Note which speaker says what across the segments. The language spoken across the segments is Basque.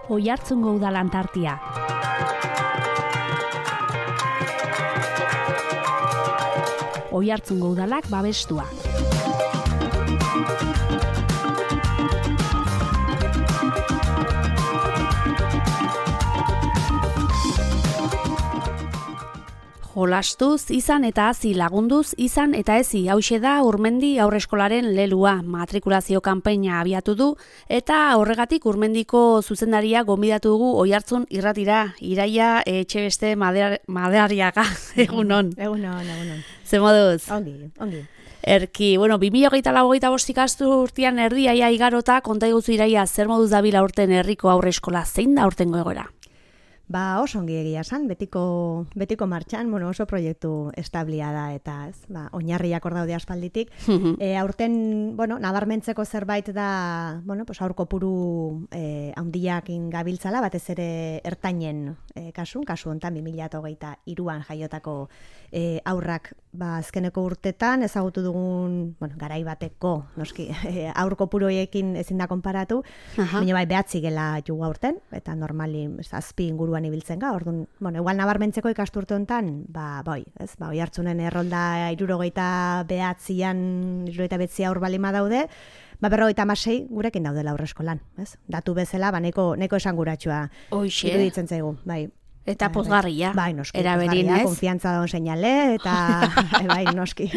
Speaker 1: Oiartzungo udalan tartia. Oiartzungo udalak babestua. Jolastuz, izan eta hazi, lagunduz, izan eta ezi, hauxe da Urmendi Haurreskolaren lelua, matrikulazio kanpaina abiatu du, eta horregatik Urmendiko zuzendaria gonbidatu dugu Oiartzun irratira, Iraia Etxebeste Madariaga, egunon.
Speaker 2: Egunon.
Speaker 1: Ze moduz?
Speaker 2: Ongi.
Speaker 1: Erki, 2024 ikasturtean erdiaia igarota, konta iguzu Iraia, zer moduz dabila aurten herriko haurreskola, zein da aurtengo egoera?
Speaker 2: Oso ongi egia san, betiko martxan, oso proiektu establia da eta ez, oinarriak hor daude aspalditik. Aurten, nabarmentzeko zerbait da, aur kopuru handiakin gabiltzala, batez ere ertainen kasu hontan 2023an jaiotako aurrak azkeneko urtetan ezagutu dugun, garai bateko, noski, aur kopuru horiekin ezin da konparatu, baina bai 9 gela jugu aurten, eta normali 7 inguruan ibiltzen ga, orduan, igual nabarmentzeko ikasturte hontan, Oiartzunen errolda 79 aur balima daude, 56 gurekin daudela aurreskolan, ez? Datu bezala, nahiko esanguratsua iruditzen zaigu, bai.
Speaker 1: Eta pozgarria.
Speaker 2: Bai, noski.
Speaker 1: Eraberin, ez?
Speaker 2: Konfiantza daun seinale, eta bai, noski.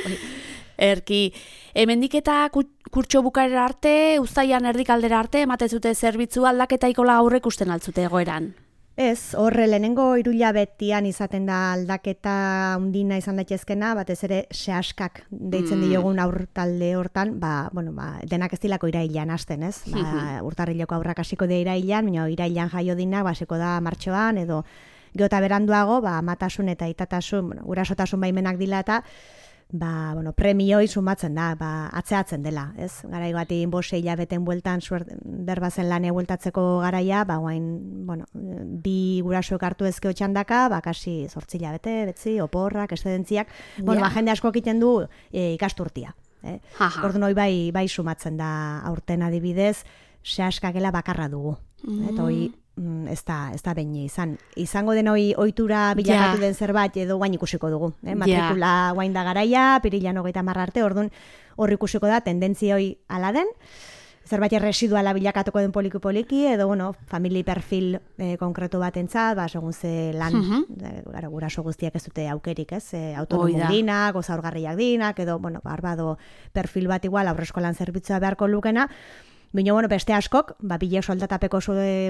Speaker 1: Erki, hemendik eta kurtso bukaera arte, uztaian erdikaldera arte, ematezute zerbitzu aldaketa ikola aurrek usten altzute egoeran.
Speaker 2: Ez, horre lehenengo 3 hilabetian izaten da aldaketa undina izan daitezkena, batez ere sehaskak deitzen diogun aur talde hortan, denak ez dilako irailean hasten, ez? Urtarrileko aurrak hasiko dira irailean, baina irailean jaio dinak hasiko da martxoan edo geota beranduago, amatasun eta itatasun, gurasotasun baimenak dila eta premioi sumatzen da, atzeatzen dela, ez? Garai bati 5 hilabeten bueltan berbazen lane bueltatzeko garaia, guain, 2 gurasoek hartu ezkeo txandaka, kasi 8 hilabete, betzi, oporrak, estedentziak, jende asko egiten du ikasturtia. Orduan hori bai sumatzen da aurten adibidez, sehaskakela bakarra dugu. Eta hori ez da behin izango den ohitura bilakatu den zerbait edo guain ikusiko dugu. Matrikula guain da garaia, pirilan 30 arte, orduan hor ikusiko da tendentzia hori ala den, zerbait residuala bilakatuko den poliki edo famili perfil konkretu batentzat, segun ze lan, guraso guztiak ez dute aukerik, ez? Autonomo dinak, zaurgarriak dinak, edo barbado perfil bat igual aurreskolan zerbitzua beharko lukena. Baina, beste askok, bile soldatapeko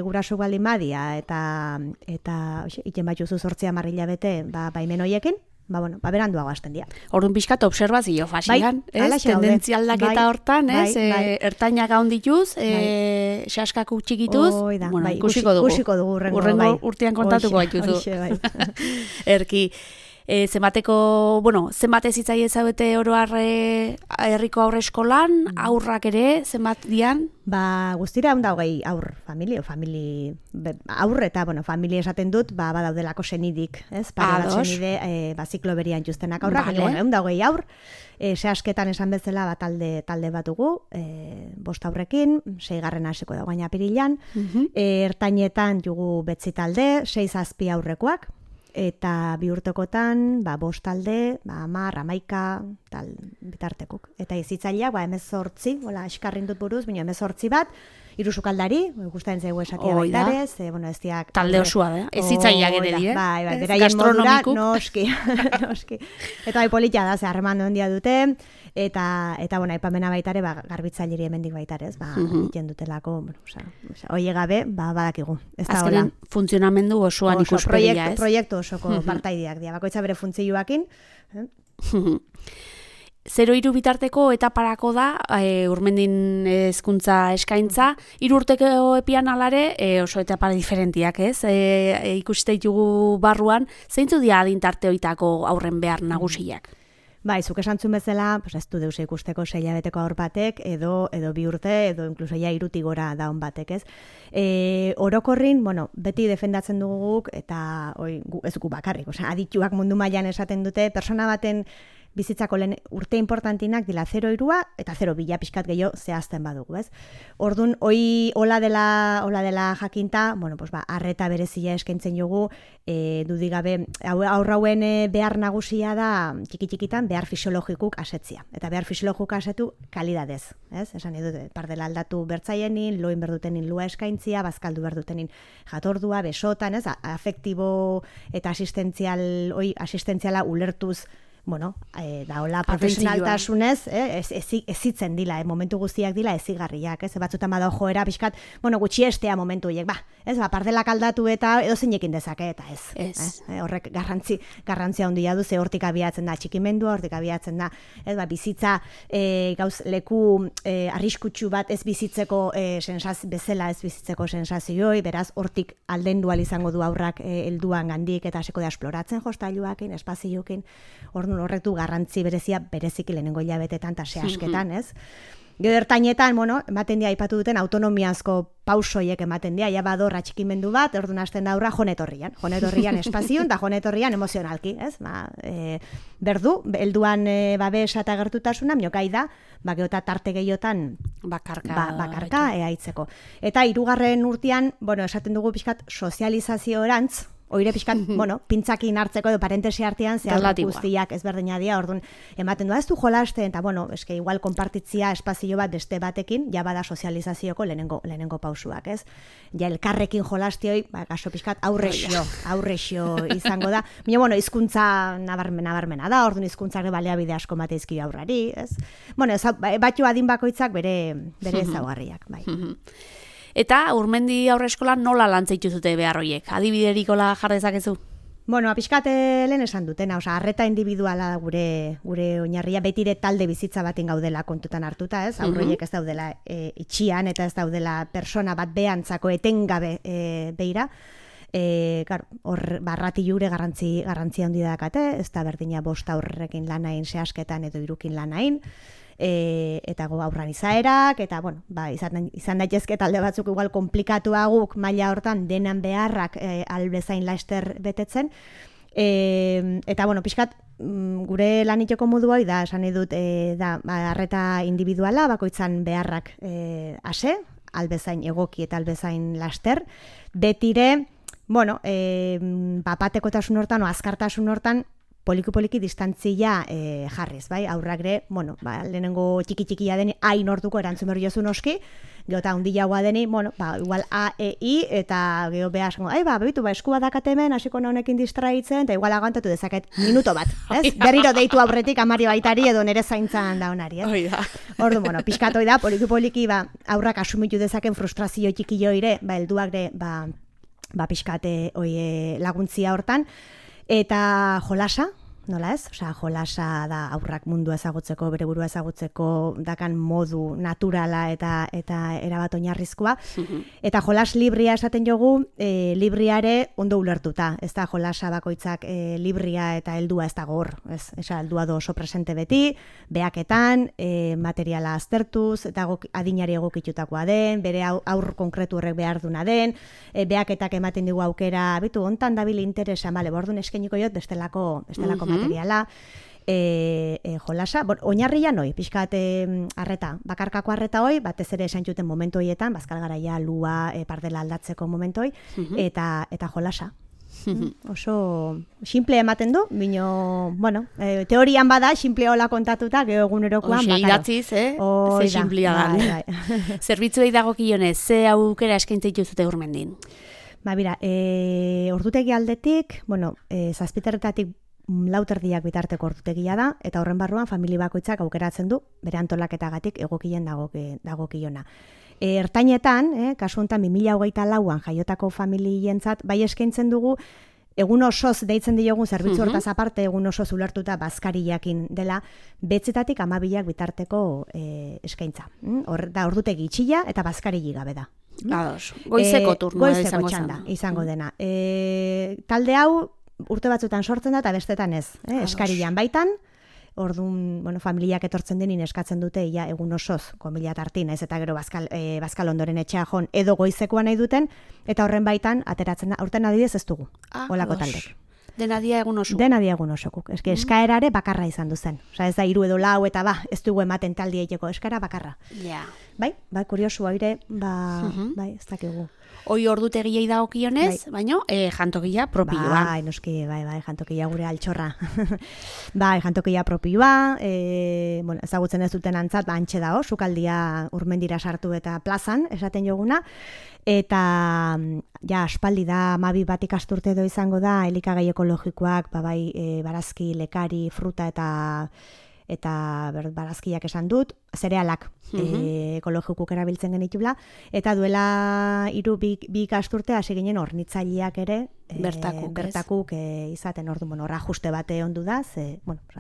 Speaker 2: guraso baldin badia, eta iten bat juzu 8 hilabete baimen horiekin, beranduago hasten dira.
Speaker 1: Orduan pixkat obserbazio fasian, tendentzia aldaketa hortan, ertainak gaun dituz, sehaskak txikituz, ikusiko dugu. Urrengo urtean kontatuko baituzu. Erki, zenbat ezitzai ezabete oroar herriko aurreskolan, aurrak ere, zenbat dian?
Speaker 2: Guztira 120 aur, aur eta, familia esaten dut, badaudelako senidik, ez? Pare bat senide, ziklo berian justenak aurrak, 120 aur, sehasketan esan bezala talde bat dugu, 5 aurrekin, 6 hasiko da guaina pirilan, ertainetan jugu betzi talde, 6-7 aurrekoak, eta 2 urtekotan, 5 talde, 10, 11, tal bitartekuk. Eta izitzaileak, 18, eskarrin dut buruz, baina 18 bat, 3 sukaldari, gustatzen zaigu esatia baitarez, ez diak...
Speaker 1: Talde osua da, ezitzaileak ere di,
Speaker 2: beraien modura, noski. Eta politia da, harreman ondia dute, eta aipamena baitare, garbitzaileri hemendik baitarez, egiten dutelako, oie gabe, badakigu.
Speaker 1: Azkenen funtzionamendu osoan ikuspegia, ez?
Speaker 2: Proiektu osoko partaideak dira, bakoitza bere funtzioakin.
Speaker 1: 0-3 bitarteko etaparako da Urmendin hezkuntza eskaintza, 3 urteko epian alare oso etapara diferentiak, ez? Ikusite ditugu barruan, zeintzu dira adintarte hoitako aurren behar nagusiak?
Speaker 2: Zuk esantzun bezala, ez du deus ikusteko 6 hilabeteko aur batek, edo 2 urte, edo inkluso 3 gora daun batek, ez? Orokorrin, beti defendatzen dugu, eta ez gu bakarrik, adituak mundu mailan esaten dute, persona baten bizitzako lehen urte importantinak dila 0,3 eta 0,2 pixkat gehiago zehazten badugu, ez? Orduan, hola dela jakinta, bueno, pues arreta berezia eskaintzen jogu, dudigabe, aurrauen behar nagusia da, txiki-txikitan, behar fisiologikuk asetzia. Eta behar fisiologikuk asetu kalidadez, ez? Esan edo, pardela aldatu bertzaienin, loin berdutenin lua eskaintzia, bazkaldu berdutenin jatordua, besotan, ez? Afektibo eta asistentziala ulertuz, bueno, da hola profesionaltasunez, ezitzen dila, momentu guztiak dila ezigarriak, ez? Batzutan bada joera pixkat, bueno, gutxiestea momentu horiek, ez? Pardelak aldatu eta edo zeinekin dezake, eta ez. Horrek garrantzia handia du, ze hortik abiatzen da txikimendua, hortik abiatzen da, ez? Bizitza leku arriskutsu bat ez bizitzeko bezala ez bizitzeko sensazioi, beraz, hortik aldendu izango du aurrak helduan gandik, eta hasiko da esploratzen jostailuakin, espazioekin, horrek du garrantzi berezia bereziki lehenengo hilabetetan eta zehazketan, ez? Gero ertainetan, bueno, ematen dira aipatu duten autonomiazko pausoiek ematen dira, ja bador atxikimendu bat, orduan hasten da aurra jonetorrian espazioan, eta jonetorrian emozionalki, ez? Berdu, helduan babesa eta gertutasuna, miokai da, geota tarte gehiotan bakarka eaitzeko. Eta 3. urtean, bueno, esaten dugu pixkat sozializazio-orantz, oire pixkat, bueno, pintzakin hartzeko edo parentesi artean zehar guztiak ezberdina dira, orduan ematen du, ez du jolasten, eta bueno, eske igual konpartitzia espazio bat beste batekin, ja bada sozializazioko lehenengo pausuak, ez? Ja elkarrekin jolastioi, gaso pixkat aurrexio izango da. Baina, bueno, hizkuntza nabarmena da, orduan hizkuntzak baliabide asko mateizki aurrari, ez? Bueno, batxo adin bakoitzak bere ezaugarriak, bai.
Speaker 1: Eta Urmendi Aurreskolan nola lantzeitu zute behar horiek? Adibiderikola jar dezakezu?
Speaker 2: Bueno, pixkat lehen esan dutena, arreta individuala gure oinarria, betire talde bizitza batin gaudela kontutan hartuta, ez? Aurroiek ez daudela itxian eta ez daudela persona bat behantzako etengabe beira. Barrati jure garrantzi handi dakate, ez da berdina 5 aurrekin lanain zehazketan edo 3 lanain, eta aurran izaerak, eta bueno, izan daitezke talde batzuk igual komplikatuaguk maila hortan denan beharrak albezain laster betetzen, eta bueno, pixkat gure laniteko modu hori da, esan edut, arreta individuala, bakoitzan beharrak ase, albezain egoki eta albezain laster, betire, bueno, bapatekotasun hortan o azkartasun hortan poliki distantzia jarriz, bai? Aurrak bueno, lehenengo txiki-txikia deni hain orduko erantzun behar jozu noski, geota hundilagoa deni, bueno, igual A, E, I, eta geho behar, bebitu, eskua dakatemen, hasiko honekin distraitzen, eta igual agantatu dezaket minuto bat, ez? Berriro deitu aurretik amari baitari edo nere zaintzan da honari, ez? Ordu, bueno, pixkatoi da, poliki, aurrak asumitu dezaken frustrazio txikillo ire, helduak de, pixkate laguntzia hortan, eta jolasa, nola ez? Osea, jolasa da aurrak mundua ezagutzeko, bere burua ezagutzeko dakan modu naturala eta erabat oinarrizkoa. Eta jolas libria esaten jogu, libriare ondo ulertuta. Ez da jolasa bakoitzak libria eta heldua ez dago hor. Esa heldua do oso presente beti, behaketan, materiala aztertuz, eta adinari egokitutakoa den, bere aur konkretu horrek behar duna den, behaketak ematen digu aukera, bitu, hontan dabil interesa, bordun eskeniko jot, bestelako materiala, jolasa, oinarria noi, pixkat arreta, bakarkako arreta hoi, batez ere esan juten momentu hoietan, bazkal garaia, lua, pardela aldatzeko momentu hoi, eta jolasa. Oso simple ematen du, bino, bueno, teorian bada, simple hola kontatuta, geho egunerokoan,
Speaker 1: idatziz, ze simplea da. Zerbitzuei dagokionez, ze aukera eskaintzeitu zute Urmendin?
Speaker 2: Bira, ordutegi aldetik, bueno, 7:00 lauterdiak bitarteko ordutegia da, eta horren barruan familia bakoitzak aukeratzen du, bere antolaketagatik egokien dagokiona. Ertainetan, kasu honetan 2024an jaiotako familientzat, bai eskaintzen dugu, egun osoz deitzen diogun zerbitzu hortaz aparte, egun osoz ulertuta bazkariakin dela, 9:00 eta 12:00 bitarteko eskaintza. Da ordutegi itxila eta bazkari gabe da.
Speaker 1: Goizeko turnoa
Speaker 2: izango dena. Talde hau urte batzutan sortzen da eta bestetan ez. Eskarian baitan, orduan, bueno, familiak etortzen denin eskatzen dute ia egun osoz, komila tartin, ez eta gero bazkal ondoren etxea jon edo goizekoa nahi duten, eta horren baitan ateratzen da, aurten adibidez ez dugu, olako taldek.
Speaker 1: Dena dia egun oso.
Speaker 2: Dena dia egun osokuk. Eske eskaerare bakarra izan du zen. Osea, ez da 3 edo 4 eta ez dugu ematen taldi egiteko eskaera bakarra.
Speaker 1: Ja.
Speaker 2: Bai, kuriosua ere, bai, ez dakigu.
Speaker 1: Hoi ordutegiei dagokionez, baina jantokia propioa.
Speaker 2: Bai, noski, bai, jantokia gure altxorra. Bai, jantokia propioa, ezagutzen ez duten antzat, antxe dago, sukaldia Urmendira sartu eta plazan, esaten joguna, eta ja, aspaldi da, 12 bat ikasturte edo izango da, elikagai ekologikoak, barazki, lekari, fruta eta barazkiak esan dut, zerealak ekologikuk erabiltzen genitula, eta duela 3 ikasturte hasi ginen hornitzaileak ere bertakuk izaten orduan, horra ajuste bate ondu da,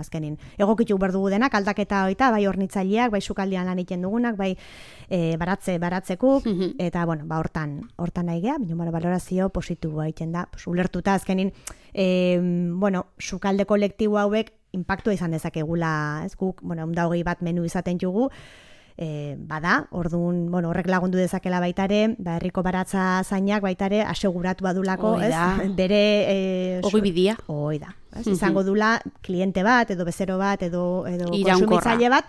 Speaker 2: azkenin egokitu berdugu denak, aldaketa hoita, bai hornitzaileak, bai sukaldian lan egiten dugunak, bai baratzekuk, eta hortan nahi geha, balorazio positiboa egiten da, ulertuta azkenin, sukalde kolektibo hauek impactua izan dezakegula, ez guk, 120 bat menu izaten jugu, bada, orduan, horrek lagundu dezakela baitare, herriko baratza zainak baitare aseguratu badulako, ez? Bere...
Speaker 1: Ogi bidia.
Speaker 2: Hoi da. Izango dula kliente bat, edo bezero bat, edo konsumitzaile bat,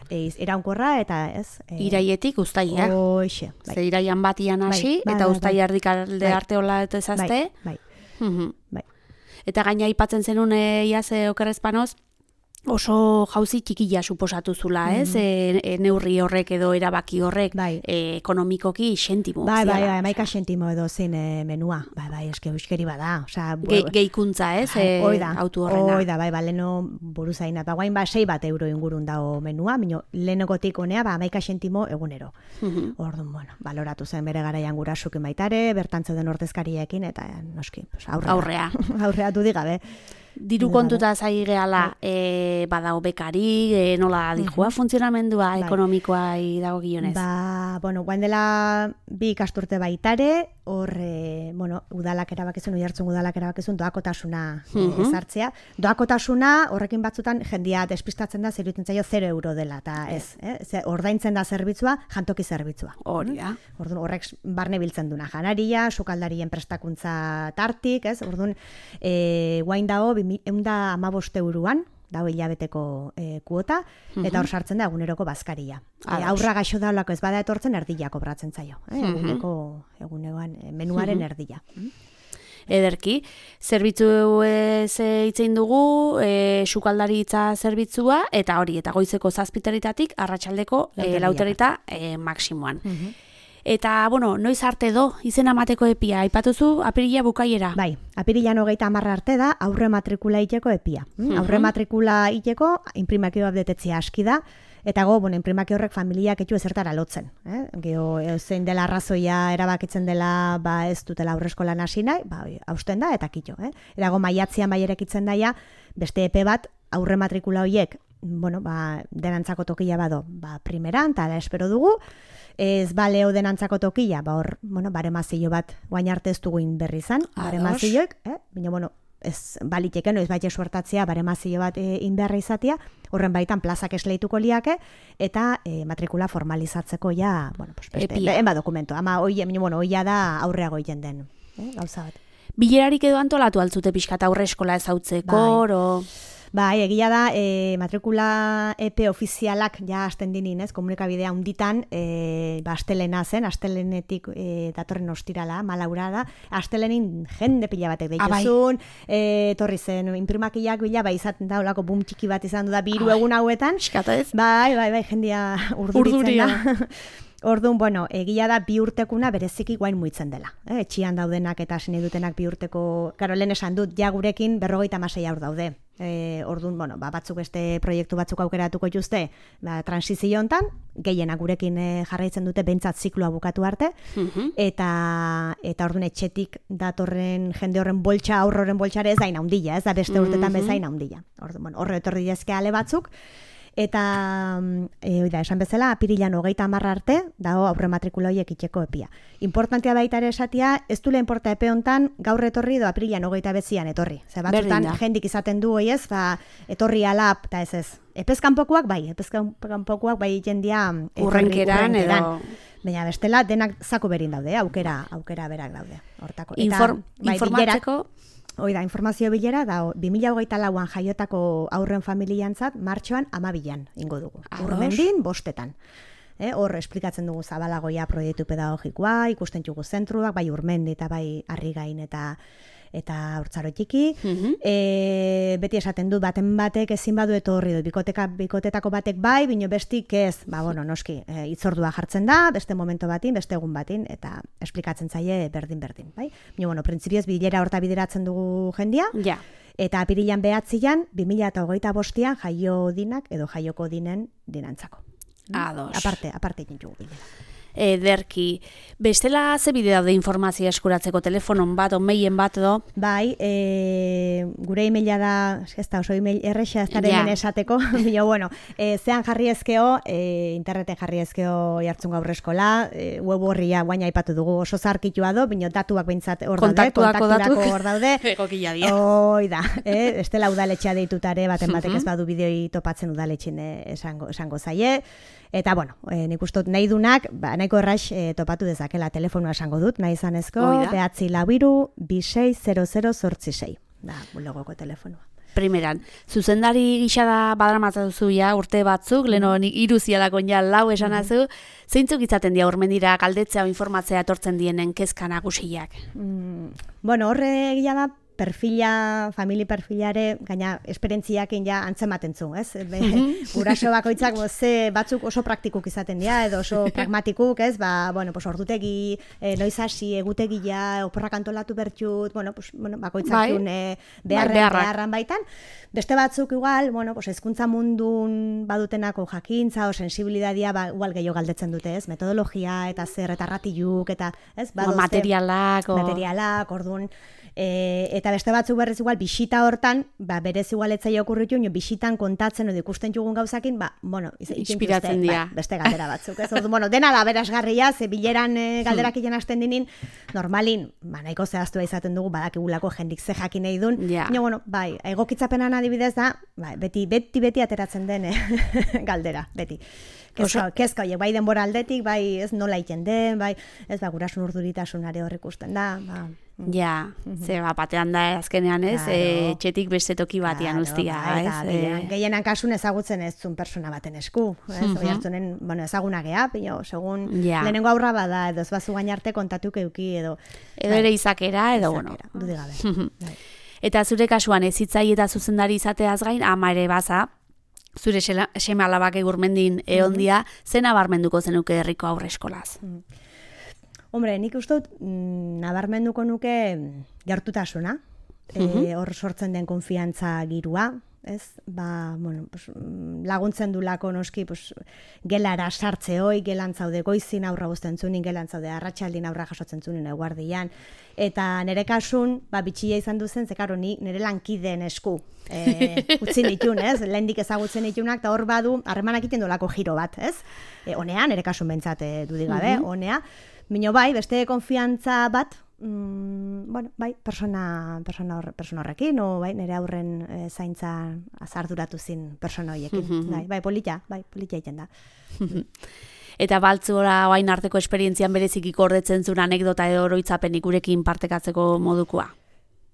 Speaker 2: iraunkorra eta ez...
Speaker 1: Iraietik uztaia.
Speaker 2: Hoxe.
Speaker 1: Ze iraian batian hasi, eta uztaia erdikalde arte hola eta ezazte.
Speaker 2: Bai.
Speaker 1: Eta gaina aipatzen zenun iaz okerrezpanoz, oso jauzi txikila suposatu zula, ez? Neurri horrek edo erabaki horrek ekonomikoki xentimo.
Speaker 2: Bai, 11 xentimo edo zen menua. Bai, eske euskeri bada.
Speaker 1: Gehikuntza, ez? Autu horrena.
Speaker 2: Hoi da, leheno buruzaina. Guain 6 bat euro ingurun dago menua, minio lehenegotik honea 11 xentimo egunero. Orduan, baloratu zen bere garaian gurasukin baitare, bertantze den ordezkariekin, eta noski, aurrea du digabe.
Speaker 1: Diru kontuta zai gehala, badago bekari, nola dijua funtzionamendua ekonomikoa dago gionez?
Speaker 2: Guain dela 2 ikasturte baitare, hor, udalak erabakizun, Oiartzun udalak erabakizun, doakotasuna ezartzea. Doakotasuna, horrekin batzutan, jendia despistatzen da, zeruditzen zaio 0 euro dela, eta ez, ordaintzen da zerbitzua, jantoki zerbitzua.
Speaker 1: Hori da.
Speaker 2: Orduan, horrek barne biltzen duna, janaria, sukaldarien prestakuntza tartik, ez? Orduan, guain dago, 115 euroan, dago hilabeteko kuota, eta hor sartzen da eguneroko bazkaria. Aurra gaixo daulako ez bada etortzen erdila kobratzen zaio. Egunekoan menuaren erdila.
Speaker 1: Ederki, zerbitzu itzein dugu, sukaldaritza zerbitzua, eta goizeko 7:00 arratsaldeko 4:00 maksimoan. Eta, noiz arte do, izena mateko epia, aipatuzu apirila bukaiera?
Speaker 2: Bai, apirilan 30 arte da aurre matrikula iteko epia. Aurre matrikula iteko, inprimakioa betetzea aski da, eta inprimakio horrek familiak etxu ezertara lotzen. Gero, zein dela arrazoia erabakitzen dela, ez dutela aurreskolan hasi nahi, hausten da, eta kitxo. Erago maiatzean bai erekitzen daia, beste epe bat, aurre matrikula horiek, denantzako tokia bado, primeran, eta espero dugu, ez baleo denantzako tokia, baremazio bat, guain arte ez duguin berri izan, baremazioek, baina, ez baliteken, ez baite suertatzea, baremazio bat inberra izatea, horren baitan plazak esleituko liake, eta matrikula formalizatzeko ja, enba dokumento, ama hoia da aurreago egiten den, gauza bat.
Speaker 1: Bilerarik edo antolatu altzute pixkat aurre eskola ezautzeko,
Speaker 2: Bai, egia da, matrikula EP ofizialak ja hasten dinin, komunikabidea hunditan, astelena zen, astelenetik datorren ostirala, malaura da, astelenin jende pila batek deituzun, torri zen, imprimakiak bila, izaten da, olako boom txiki bat izan du da, 2 egun hauetan, bai, jendia urduritzen da. Orduan, egia da 2 urtekuna bereziki guain muitzen dela. Etxian daudenak eta hasi nahi dutenak 2 urteko, lehen esan dut, ja gurekin 56 aur daude. Orduan, batzuk beste proiektu batzuk aukeratuko dituzte, transizio hontan, gehienak gurekin jarraitzen dute behintzat zikloa bukatu arte, eta orduan etxetik datorren jende horren boltsa, aurroren boltsare ez da inaundila, ez da beste urtetan bezain inaundila. Horre etorri dizke ale batzuk, eta esan bezala, apirilan 30 arte, dago aurre matrikula horiek itxeko epia. Importantea baita ere esatia, ez du lehen porta epe hontan gaur etorri edo apirilan 29 etorri. Zer batzutan jendik izaten du hoiez, etorri alap, eta ez. Epezkanpokoak bai jendia
Speaker 1: urrenkeran edo...
Speaker 2: Baina bestela denak zako berin daude, aukera berak daude. Hortako.
Speaker 1: Informatzeko...
Speaker 2: Hoi da, informazio bilera, da 2024an jaiotako aurren familiantzat, martxoan 12an ingo dugu. Urmendin, 5etan. Hor, esplikatzen dugu zabalagoia proiektu pedagogikoa, ikusten dugu zentruak, bai Urmendi eta bai Arrigain eta Hortzaro txiki. Beti esaten du baten batek ezin badu etorri dut, bikotetako batek bai, bino bestik ez, noski, itzordua jartzen da, beste momento batin, beste egun batin, eta esplikatzen zaie berdin, bai? Bino, printzipioz bilera horta bideratzen dugu jendia, eta apirilan 9an, 2025an jaio dinak edo jaioko dinantzako.
Speaker 1: Ados.
Speaker 2: Aparte egin dugu bilera.
Speaker 1: Ederki, bestela ze bide daude informazioa eskuratzeko, telefonon bat, mailen bat edo?
Speaker 2: Bai, gure emaila da, ez da oso email erresa ez daren esateko, bino, bueno, zean jarri ezkeo, interneten jarri ezkeo Oiartzun Haurreskola, web horria guaina aipatu dugu oso zarkitua do, bino datuak behintzat hor daude, kontakturako hor daude.
Speaker 1: Egokila dia.
Speaker 2: Hoi da, bestela udaletxea deitutare, baten batek ez badu bideoi topatzen udaletxin esango zaie. Eta, bueno, nik uste nahi dunak, nahiko erraix topatu dezakela telefonua esango dut, nahi izanezko, 942-260086, da, bulegoko telefonua.
Speaker 1: Primeran, zuzendari gisa da badaramatzen duzu ja, urte batzuk, leheno iruzialakon ja lau esanazu, zeintzuk izaten dira Urmendira galdetzea o informatzea etortzen dienen kezka nagusiak?
Speaker 2: Bueno, horre egia da, famili perfilare, gaina esperientziakin ja antzematen zu, ez? Guraso bakoitzak batzuk oso praktikuk izaten dira, edo oso pragmatikuk, ez? Ordutegi, noiz hasi, egutegia, oporrak antolatu bertxut, bakoitzak beharran baitan. Beste batzuk igual, hezkuntza mundun badutenako jakintza o sensibilidadia, igual gehiago galdetzen dute, ez? Metodologia, eta zer, eta ratiluk, eta, ez?
Speaker 1: Materialak,
Speaker 2: orduan, eta beste batzuk berrez igual bisita hortan, berez igual etzai okurritu, bisitan kontatzen edo ikusten jugun gauzakin,
Speaker 1: inspiratzen dira.
Speaker 2: Beste galdera batzuk, ez? Dena da berazgarria, ze bileran galderak ilan hasten dinin, normalin, nahiko zehaztua izaten dugu, badakigulako jendik ze jakin nahi dun, egokitzapenan adibidez da, beti ateratzen den galdera, beti. Kezka horiek, bai denbora aldetik, bai ez nola iten den, bai ez gurasun urduritasunare hor ikusten da.
Speaker 1: Ja, batean da azkenean ez, txetik beste toki batean ustia.
Speaker 2: Gehienan kasun ezagutzen ez zun persona baten esku. Oiartzunen, ezaguna geha, segun lehenengo aurra bada, edo ez bazu gainarte kontatuk euki, edo
Speaker 1: ere izakera, edo bueno.
Speaker 2: Dudigabe.
Speaker 1: Eta zure kasuan ez hitzai eta zuzendari izateaz gain, ama ere baza, zure seme alabak Urmendin eondia, zen nabarmenduko zenuke herriko haurreskolaz?
Speaker 2: Hombre, nik uste dut nabarmenduko nuke gertutasuna, hor sortzen den konfiantza girua, ez? Laguntzen du lako noski gelara sartze hoi, gelan zaude goizin aurra guzten zunin, gelan zaude arratsaldin aurra jasotzen zunin eguardian, eta nire kasun, bitxia izan duzen, zekaro nire lankideen esku utzi nitun, ez? Lehendik ezagutzen nitunak, eta hor badu, harremanak iten dolako giro bat, ez? Honea, nire kasun bentsat dudigabe, honea, Bino beste konfiantza bat, persona horrekin, nire aurren zaintza azarduratu zin persona horiekin. Polita egiten da.
Speaker 1: Eta baltzora oain arteko esperientzian bereziki gordetzen zuen anekdota edo oroitzapenik gurekin partekatzeko modukoa?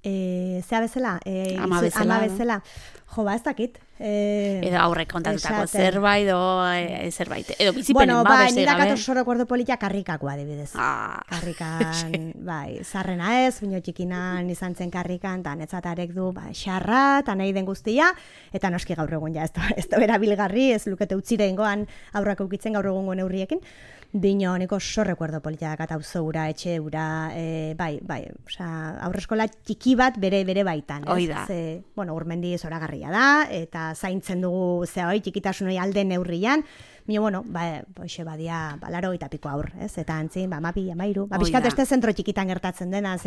Speaker 2: Zea bezala?
Speaker 1: Ama bezala.
Speaker 2: Jo, ez dakit.
Speaker 1: Edo aurrek kontatutako zerbait, zerbait. Edo bizipenen beste
Speaker 2: gabe. Nire oso recuerdo politia karrikakoa, adibidez. Karrikan, zarrena ez, bino txikinan izan zen karrikan, eta netzatarek du, xarra, eta nahi den guztia, eta noski gaur egun ez da berabilgarri, ez lukete utzire ingoan aurrak eukitzen gaur egungo neurriekin. Bino, niko oso recuerdo politia dakat auzo ura, etxe ura, aurreskola txiki bat bere baitan.
Speaker 1: Oida.
Speaker 2: Urmendi zoragarria da, eta zaintzen dugu txikitasun hori alde neurrian, bino, hoxe badia, laro eta piko aur, ez? Eta antzin, mapi, amairu. Biskat este zentro txikitan gertatzen dena,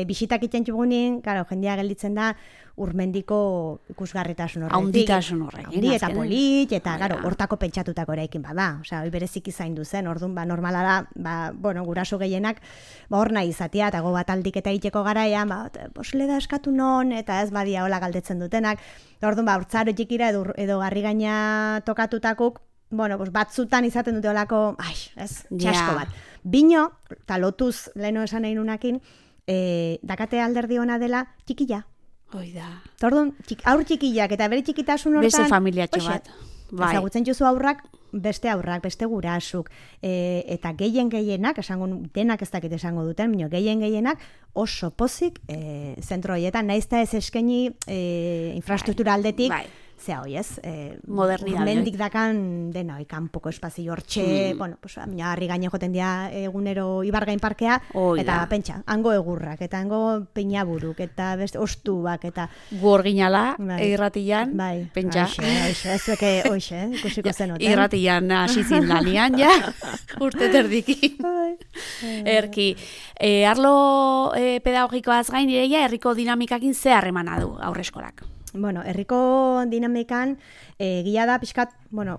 Speaker 2: bisitak iten txugunin, jendia gelditzen da, Urmendiko ikusgarritasun horretik.
Speaker 1: Haunditasun horrekin.
Speaker 2: Haundi eta polit, eta hortako pentsatutako eraikin bada. Hoi bereziki zaindu zen, orduan, normala da, guraso gehienak, hor nahi izatea, eta bat aldik eta iteko garaian, posle da eskatu non, eta ez badia hola galdetzen dutenak. Orduan, urtzaro txikira edo garri gaina tokatutakuk, batzutan izaten dute holako, txasko bat. Bino, eta lotuz, leheno esan nahi nunakin, dakate alderdi ona dela txikila.
Speaker 1: Hoi da.
Speaker 2: Orduan, aur txikilak eta bere txikitasun hortan...
Speaker 1: Beste familiatxo bat. Bai.
Speaker 2: Ezagutzen juzu aurrak, beste gurasuk, eta gehienak, denak ez dakit esango duten, baina gehienak oso pozik zentro horietan, naizta ez eskaini infrastruktura aldetik, zea hoi ez,
Speaker 1: modernidade.
Speaker 2: Mendik dakan dena, kanpoko espazio hortxe, bueno, harri gaine joten dira egunero Ibargain parkea, eta pentsa, hango egurrak, eta hango peinaburuk, eta beste ostuak, eta...
Speaker 1: Gu orginala, irratian, pentsa.
Speaker 2: Ez dueke, ikusiko zenoten.
Speaker 1: Irratian hasi zindanian, ja, urte terdikin. Erki, arlo pedagogikoaz gain direia, herriko dinamikakin ze harremana du aurreskolak?
Speaker 2: Bueno, herriko dinamikan gila da pixkat, gura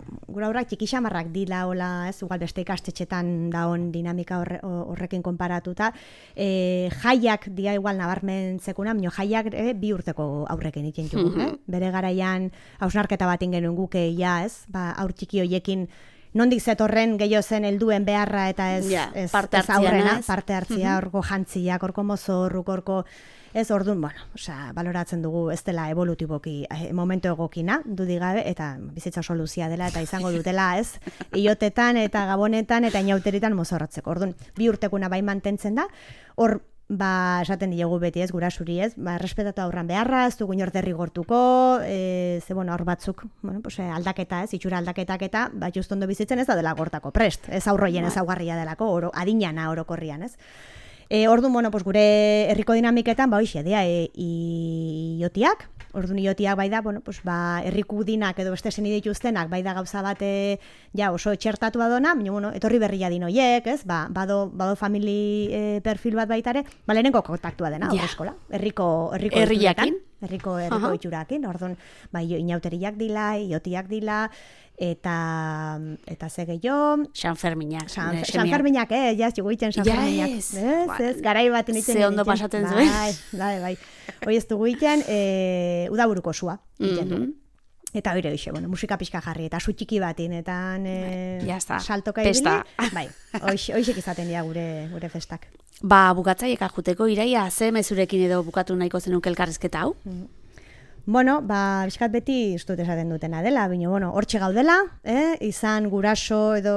Speaker 2: aurrak txikixamarrak dila, hola, ez, igual beste ikastetxetan daon dinamika horrekin konparatuta. Jaiak dia igual nabarmen zekuna, baina jaiak 2 urteko aurrekin ikin jugu. Bere garaian hausnarketa bat ingen guke, ja, ez, aur txiki hoiekin nondik zetorren gehiago zen helduen beharra eta ez aurrena, parte hartzia, orko jantziak, orko mozorruk, orko... Ez, orduan, baloratzen dugu ez dela evolutiboki momentu egokina, dudigabe, eta bizitza soluzia dela, eta izango dutela, ez, iotetan eta gabonetan eta inauteritan mozorratzeko. Orduan, 2 urtekuna bai mantentzen da, hor, esaten diogu beti ez, gurasuri ez, respetatu aurran beharra, ez dugu inor derrigortuko, hor batzuk, aldaketa ez, itxura aldaketak eta, just ondo bizitzen ez da dela gortako prest, ez aurroien ezaugarria delako, adinana orokorrian ez. Orduan, gure herriko dinamiketan, hoxe, dira, iotiak. Orduan, iotiak bai da, herriku dinak edo beste zen dituztenak, bai da gauza bat oso txertatu badona, etorri berria din hoiek, ez? Bado famili perfil bat baitare, lehenengo kontaktua dena, aurreskola. Herriko
Speaker 1: herriakin.
Speaker 2: Herriko itxurakin. Orduan, inauteriak dila, iotiak dila, eta ze gehiago...
Speaker 1: Sanferminak.
Speaker 2: Sanferminak, jaz, juguitzen Sanferminak. Ez, garai bat initzen.
Speaker 1: Ze ondo pasatzen zuen.
Speaker 2: Bai. Hoi ez dugu iten, udaburuko sua. Eta hori hoxe, musika pixka jarri, eta su txiki batin, eta saltoka ibili. Bai, hoxek izaten dira gure festak.
Speaker 1: Bukatzaiek ajuteko, Iraia, ze mezurekin edo bukatu nahiko zenuke elkarrizketa hau?
Speaker 2: Bizkat beti ustut esaten dutena dela, baina, hortxe gaudela, izan guraso edo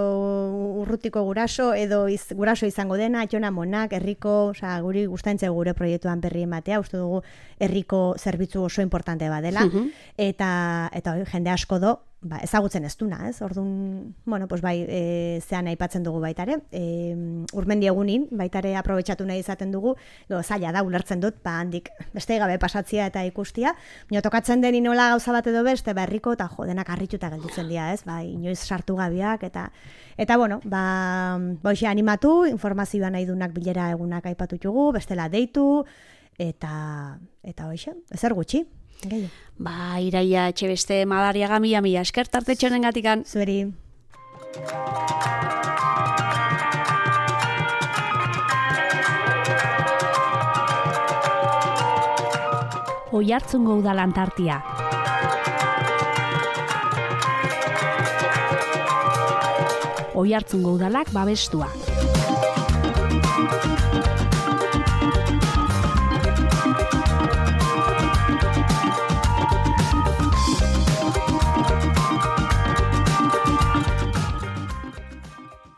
Speaker 2: urrutiko guraso, edo guraso izango dena, atxona monak, herriko, guri gustaintze gure proiektuan berri ematea, uste dugu herriko zerbitzu oso importante bat dela, eta jende asko do, ezagutzen ez duna, ez? Orduan, zean aipatzen dugu baitare, urmendi egunin, baitare aprobetxatu nahi izaten dugu, zaila da, ulertzen dut, handik beste gabe pasatzia eta ikustia, baina tokatzen deni nola gauza bat edo beste, herriko eta denak harrituta gelditzen dira, ez? Inoiz sartu gabiak, eta animatu, informazioa nahi dunak bilera egunak aipatutugu, bestela deitu, eta hoxe, ezer gutxi.
Speaker 1: Iraia Etxebeste Madariaga mila esker tartetxonen gatikan.
Speaker 2: Zueri.
Speaker 1: Oiartzungo udalan tartia. Oiartzungo udalak babestua.